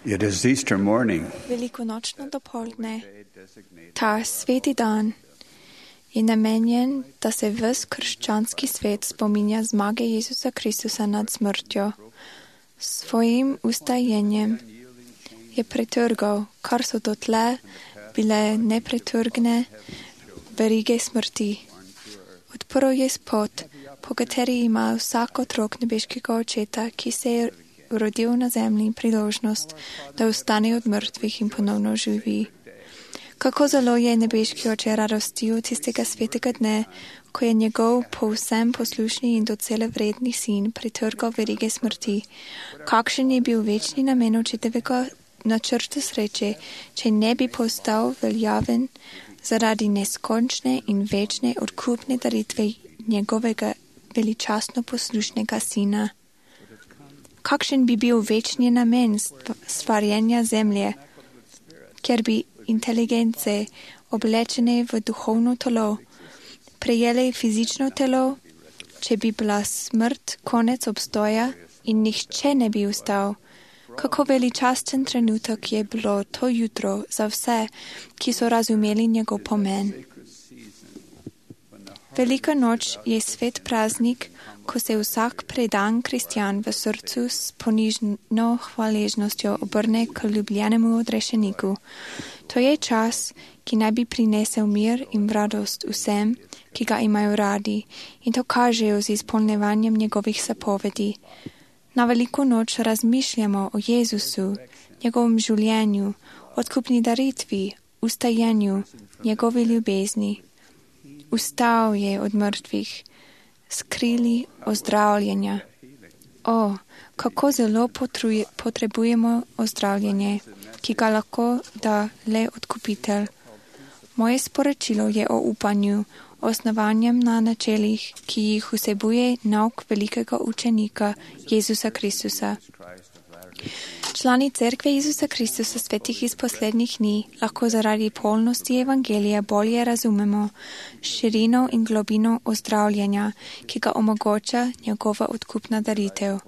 It is Easter morning. Velikonočno dopoldne. Ta sveti dan je namenjen, da se ves krščanski svet spominja zmage Jezusa Kristusa nad smrtjo. Svojim ustajenjem je pretrgal, kar so dotle bile nepretrgne verige smrti. Odprl je pot, po kateri ima vsak otrok nebeškega očeta, ki se je rodil na zemlji, priložnost, da ostane od mrtvih in ponovno živi. Kako zelo je nebeški oče radostil tistega svetega dne, ko je njegov povsem poslušni in docela vredni sin pretrgal verige smrti. Kakšen je bil večni namen očetovega načrta sreče, če ne bi postal veljaven zaradi neskončne in večne odkupne daritve njegovega veličastno poslušnega sina. Kakšen bi bil večni namen stvarjenja zemlje, ker bi inteligence oblečene v duhovno telo prejele fizično telo, če bi bila smrt konec obstoja in nihče ne bi ustal. Kako veličasten trenutek je bilo to jutro za vse, ki so razumeli njegov pomen. Velika noč je svet praznik, ko se vsak predan kristjan v srcu s ponižno hvaležnostjo obrne k ljubljenemu odrešeniku. To je čas, ki naj bi prinesel mir in radost vsem, ki ga imajo radi, in to kažejo z izpolnjevanjem njegovih zapovedi. Na veliko noč razmišljamo o Jezusu, njegovem življenju, odkupni daritvi, ustajenju, njegovi ljubezni. Vstal je od mrtvih, skrili ozdravljenja. O, kako zelo potrebujemo ozdravljenje, ki ga lahko da le odkupitelj. Moje sporočilo je o upanju, osnovanjem na načelih, ki jih vsebuje nauk velikega učenika Jezusa Kristusa. Člani Cerkve Jezusa Kristusa svetih iz poslednjih dni lahko zaradi polnosti evangelija bolje razumemo širino in globino ozdravljenja, ki ga omogoča njegova odkupna daritev.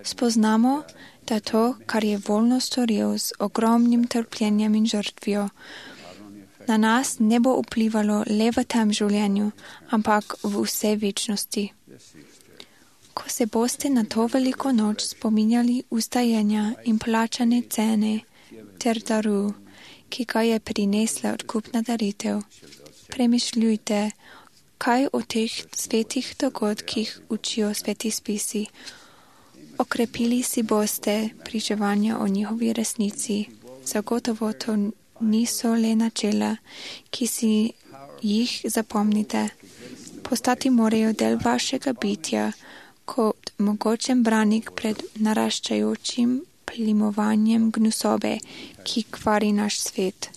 Spoznamo, da to, kar je voljno storil z ogromnim trpljenjem in žrtvijo, na nas ne bo vplivalo le v tem življenju, ampak v vse večnosti. Ko se boste na to veliko noč spominjali ustajenja in plačane cene ter daru, ki ga je prinesla odkupna daritev, premišljujte, kaj o teh svetih dogodkih učijo sveti spisi. Okrepili si boste pričevanja o njihovi resnici. Zagotovo to niso le načela, ki si jih zapomnite. Postati morajo del vašega bitja, kot mogočen branik pred naraščajočim plimovanjem gnusobe, ki kvari naš svet.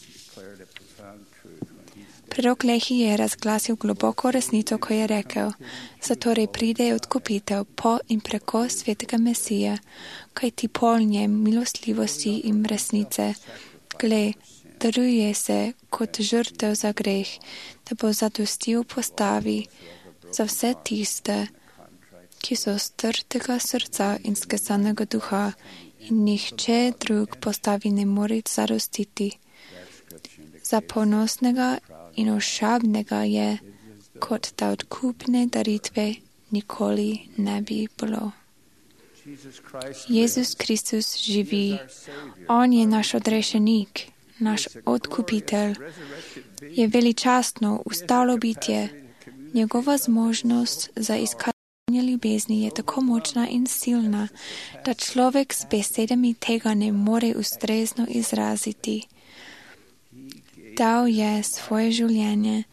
Prorok Lehi je razglasil globoko resnico, ko je rekel, zatorej pride odkupitev po in preko svetega Mesija, kaj ti polnje milostljivosti in resnice. Gle, daruje se kot žrtev za greh, da bo zadostil postavi za vse tiste, ki so strtega srca in skesanega duha, in nihče drug postavi ne more zadostiti. Za ponosnega in ošabnega je, kot da odkupne daritve nikoli ne bi bilo. Jezus Kristus živi. On je naš odrešenik, naš odkupitelj. Je veličastno ustalo bitje. Njegova zmožnost za iskanje ljubezni je tako močna in silna, da človek s besedami tega ne more ustrezno izraziti. Dal je svoje življenje,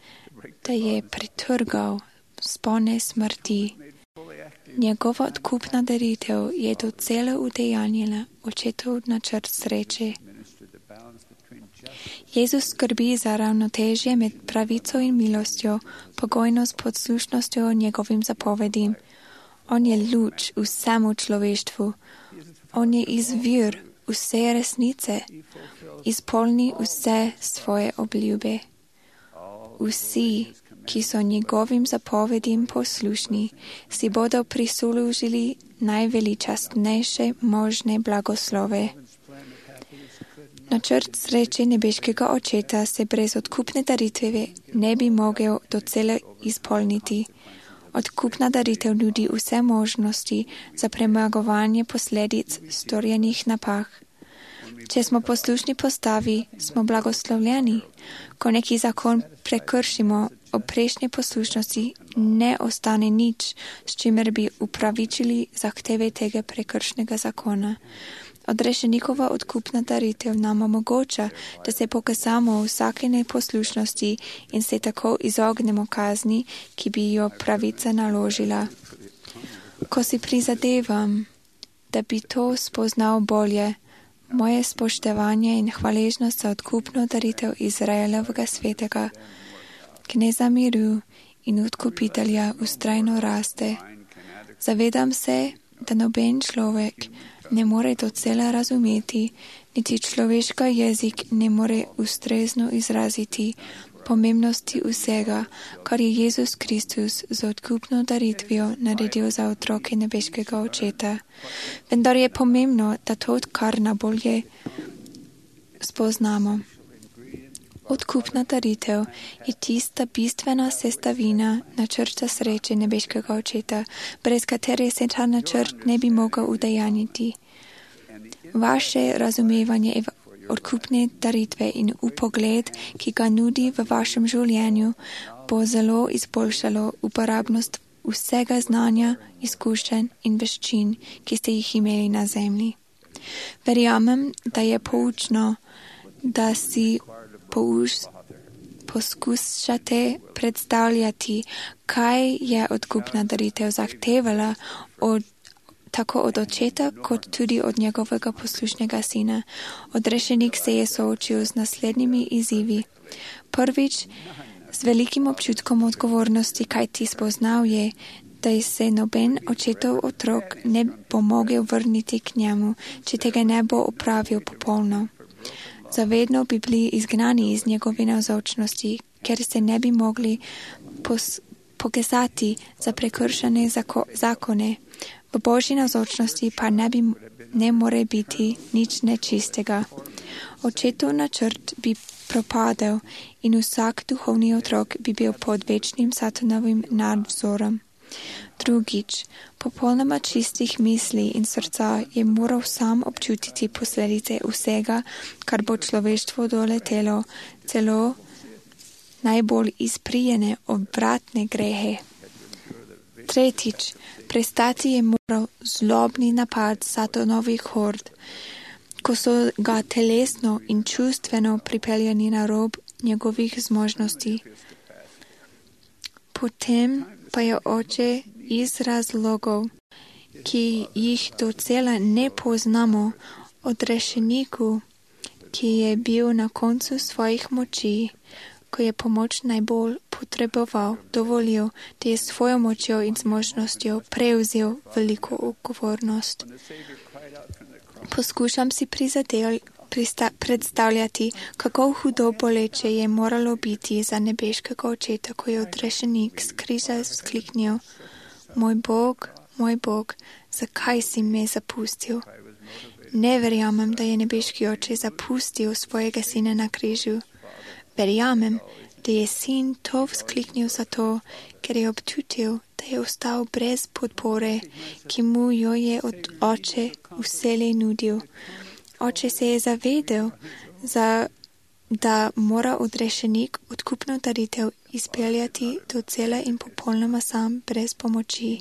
da je pretrgal spone smrti. Njegova odkupna daritev je docela udejanjila očetov načrt sreče. Jezus skrbi za ravnotežje med pravico in milostjo, pogojno s poslušnostjo njegovim zapovedim. On je luč vsemu človeštvu. On je izvir vse resnice. Izpolni vse svoje obljube. Vsi, ki so njegovim zapovedim poslušni, si bodo prislužili najveličastnejše možne blagoslove. Načrt sreče nebeškega očeta se brez odkupne daritve ne bi mogel docela izpolniti. Odkupna daritev nudi vse možnosti za premagovanje posledic storjenih napak. Če smo poslušni postavi, smo blagoslovljeni. Ko neki zakon prekršimo, ob prejšnji poslušnosti ne ostane nič, s čimer bi upravičili zahteve tega prekršnega zakona. Odrešenikova odkupna daritev nam omogoča, da se pokazamo v vsake neposlušnosti in se tako izognemo kazni, ki bi jo pravica naložila. Ko si prizadevam, da bi to spoznal bolje, moje spoštovanje in hvaležnost za odkupno daritev Izraelovega svetega, kneza miru in odkupitelja vztrajno raste. Zavedam se, da noben človek ne more docela razumeti, niti človeški jezik ne more ustrezno izraziti pomembnosti vsega, kar je Jezus Kristus z odkupno daritvijo naredil za otroke nebeškega očeta. Vendar je pomembno, da to kar najbolje spoznamo. Odkupna daritev je tista bistvena sestavina načrta sreče nebeškega očeta, brez katere se ta načrt ne bi mogel udejanjiti. Vaše razumevanje odkupne daritve in upogled, ki ga nudi v vašem življenju, bo zelo izboljšalo uporabnost vsega znanja, izkušenj in veščin, ki ste jih imeli na zemlji. Verjamem, da je poučno, da si poskušate predstavljati, kaj je odkupna daritev zahtevala tako od očeta, kot tudi od njegovega poslušnega sina. Odrešenik se je soočil z naslednjimi izzivi. Prvič, z velikim občutkom odgovornosti, kaj ti spoznal je, da se noben očetov otrok ne bo mogel vrniti k njemu, če tega ne bo opravil popolno. Zavedno bi bili izgnani iz njegove navzočnosti, ker se ne bi mogli pokazati za prekršene zakone. V Božji navzočnosti pa ne more biti nič nečistega. Očetov načrt bi propadel in vsak duhovni otrok bi bil pod večnim satanovim nadzorom. Drugič, popolnoma čistih misli in srca je moral sam občutiti posledice vsega, kar bo človeštvo doletelo, celo najbolj izprijene obratne grehe. Tretjič, prestati je moral zlobni napad satanovih hord, ko so ga telesno in čustveno pripeljani na rob njegovih zmožnosti. Potem pa je oče iz razlogov, ki jih docela ne poznamo, odrešeniku, ki je bil na koncu svojih moči, ko je pomoč najbolj potreboval, dovolil, da je svojo močjo in zmožnostjo prevzel veliko odgovornost. Poskušam si predstavljati, kako hudo boleče je moralo biti za nebeškega očeta, ko je odrešenik s križa vzkliknil: Moj Bog, zakaj si me zapustil? Ne verjamem, da je nebeški oče zapustil svojega sina na križu. Verjamem, da je sin to vzkliknil zato, ker je občutil, da je ostal brez podpore, ki mu jo je od oče vselej nudil. Oče se je zavedel, da mora odrešenik odkupno daritev izpeljati docela in popolnoma sam, brez pomoči.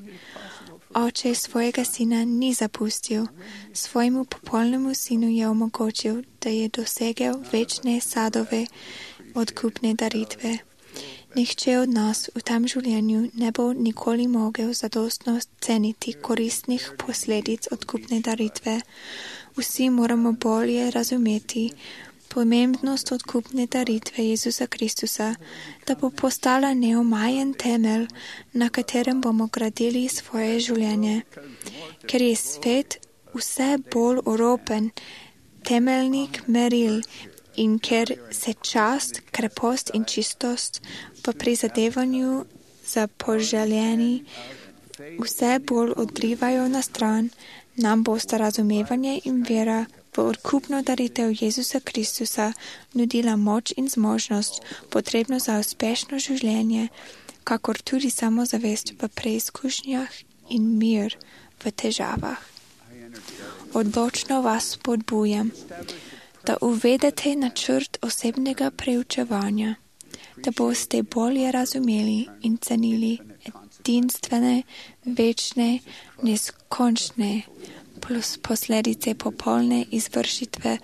Oče svojega sina ni zapustil, svojemu popolnemu sinu je omogočil, da je dosegel večne sadove odkupne daritve. Nihče od nas v tem življenju ne bo nikoli mogel zadostno ceniti koristnih posledic odkupne daritve. Vsi moramo bolje razumeti pomembnost odkupne daritve Jezusa Kristusa, da bo postala neomajen temelj, na katerem bomo gradili svoje življenje. Ker je svet vse bolj oropen temeljnih meril in ker se čast, krepost in čistost v prizadevanju za poželjeni vse bolj odrivajo na stran, Nam bosta razumevanje in vera v odkupno daritev Jezusa Kristusa nudila moč in zmožnost, potrebno za uspešno življenje, kakor tudi samozavest v preizkušnjah in mir v težavah. Odločno vas spodbujam, da uvedete načrt osebnega preučevanja, da boste bolje razumeli in cenili edinstvene, večne, neskončne posledice popolne izvršitve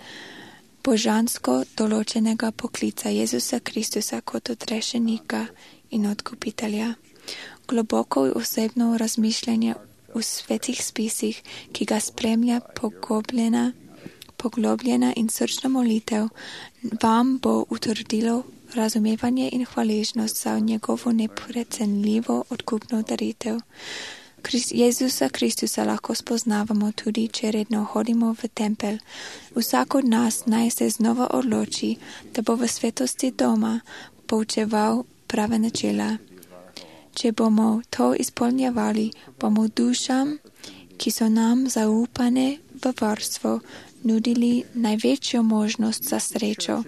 božansko določenega poklica Jezusa Kristusa kot odrešenika in odkupitelja. Globoko osebno razmišljanje v svetih spisih, ki ga spremlja poglobljena in srčna molitev, vam bo utrdilo razumevanje in hvaležnost za njegovo neprecenljivo odkupno daritev. Jezusa Kristusa lahko spoznavamo tudi, če redno hodimo v tempelj. Vsak od nas naj se znova odloči, da bo v svetosti doma poučeval prave načela. Če bomo to izpolnjevali, bomo dušam, ki so nam zaupane v varstvo, nudili največjo možnost za srečo.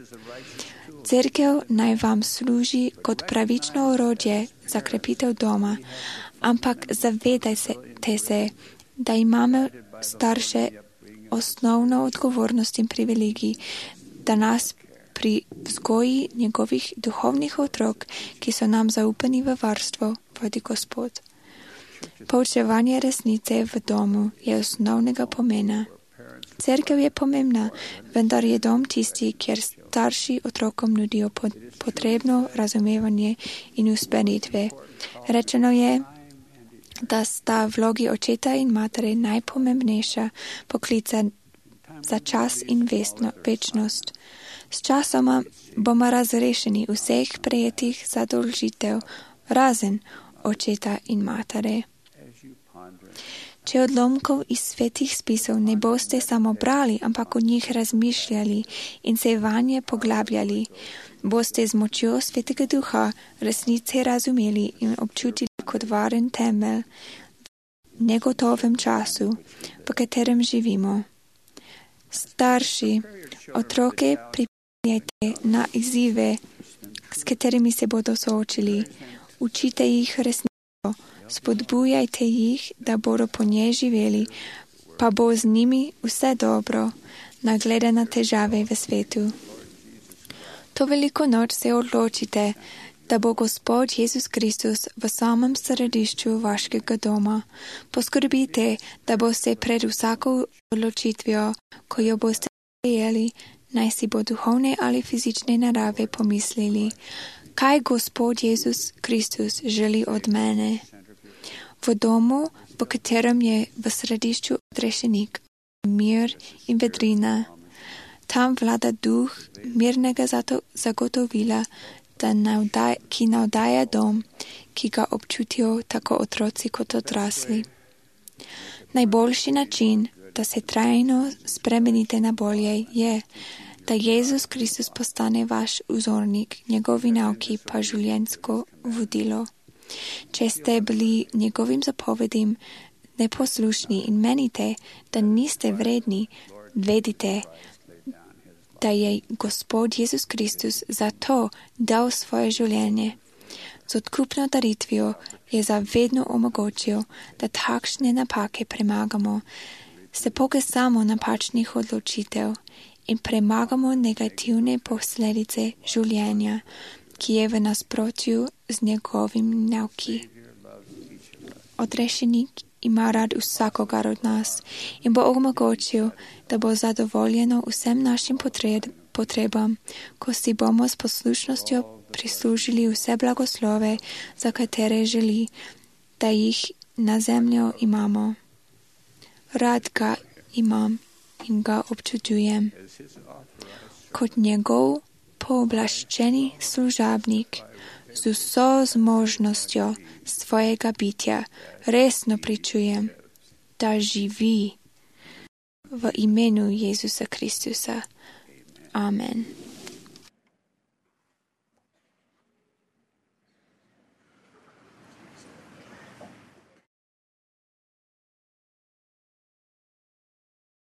Cerkev naj vam služi kot pravično orodje za krepitev doma, ampak zavedajte se, da imamo starše osnovno odgovornost in privilegij, da nas pri vzgoji njegovih duhovnih otrok, ki so nam zaupani v varstvo, vodi Gospod. Poučevanje resnice v domu je osnovnega pomena. Cerkev je pomembna, vendar je dom tisti, kjer starši otrokom nudijo potrebno razumevanje in usmeritve. Rečeno je, da sta vlogi očeta in matere najpomembnejša poklica za čas in večnost. S časoma bomo razrešeni vseh prejetih zadolžitev, razen očeta in matere. Če odlomkov iz svetih spisov ne boste samo brali, ampak o njih razmišljali in se vanje poglabljali, boste z močjo Svetega Duha resnice razumeli in občutili kot varen temelj v negotovem času, v katerem živimo. Starši, otroke pripravljajte na izzive, s katerimi se bodo soočili. Učite jih resnico, spodbujajte jih, da bodo po njej živeli, pa bo z njimi vse dobro, naglede na težave v svetu. To veliko noč se odločite, da bo Gospod Jezus Kristus v samem središču vašega doma. Poskrbite, da boste pred vsako odločitvijo, ko jo boste sprejeli, naj si bo duhovne ali fizične narave pomislili, kaj Gospod Jezus Kristus želi od mene. V domu, v katerem je v središču odrešenik, mir in vedrina. Tam vlada duh mirnega zagotovila, ki navdaja dom, ki ga občutijo tako otroci kot odrasli. Najboljši način, da se trajno spremenite na bolje, je, da Jezus Kristus postane vaš vzornik, njegovi nauki pa življenjsko vodilo. Če ste bili njegovim zapovedim neposlušni in menite, da niste vredni, vedite, da je Gospod Jezus Kristus za to dal svoje življenje. Z odkupno daritvijo je zavedno omogočil, da takšne napake premagamo, se pokesamo napačnih odločitev in premagamo negativne posledice življenja, ki je v nasprotju z njegovim nauki. Odrešenik ima rad vsakogar od nas in bo omogočil, da bo zadovoljeno vsem našim potrebam, ko si bomo s poslušnostjo prislužili vse blagoslove, za katere želi, da jih na zemljo imamo. Rad ga imam in ga občudujem. Kot njegov pooblaščeni služabnik, z vso zmožnostjo svojega bitja, resno pričujem, da živi v imenu Jezusa Kristusa. Amen.